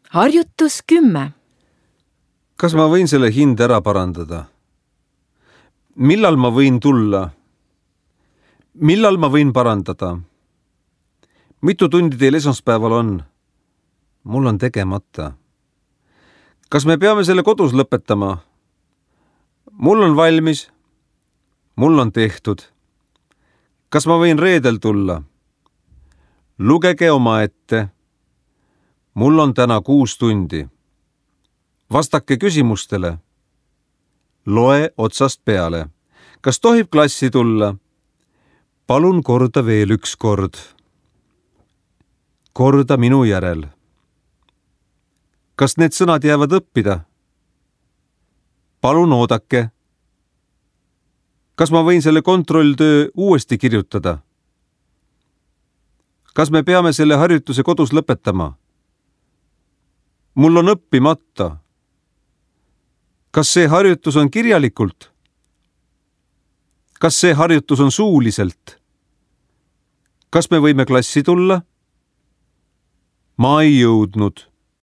Harjutus 10. Kas ma võin selle hinde ära parandada? Millal ma võin tulla? Millal ma võin parandada? Mitu tundi teil esmaspäeval on? Mul on tegemata. Kas me peame selle kodus lõpetama? Mul on valmis. Mul on tehtud. Kas ma võin reedel tulla? Lugege omaette. Mul on täna 6 tundi. Vastake küsimustele. Loe otsast peale. Kas tohib klassi tulla? Palun korda veel 1 kord. Korda minu järel. Kas need sõnad jäävad õppida? Palun oodake. Kas ma võin selle kontrolltöö uuesti kirjutada? Kas me peame selle harjutuse kodus lõpetama? Mul on õppimata. Kas see harjutus on kirjalikult? Kas see harjutus on suuliselt? Kas me võime klassi tulla? Ma ei jõudnud.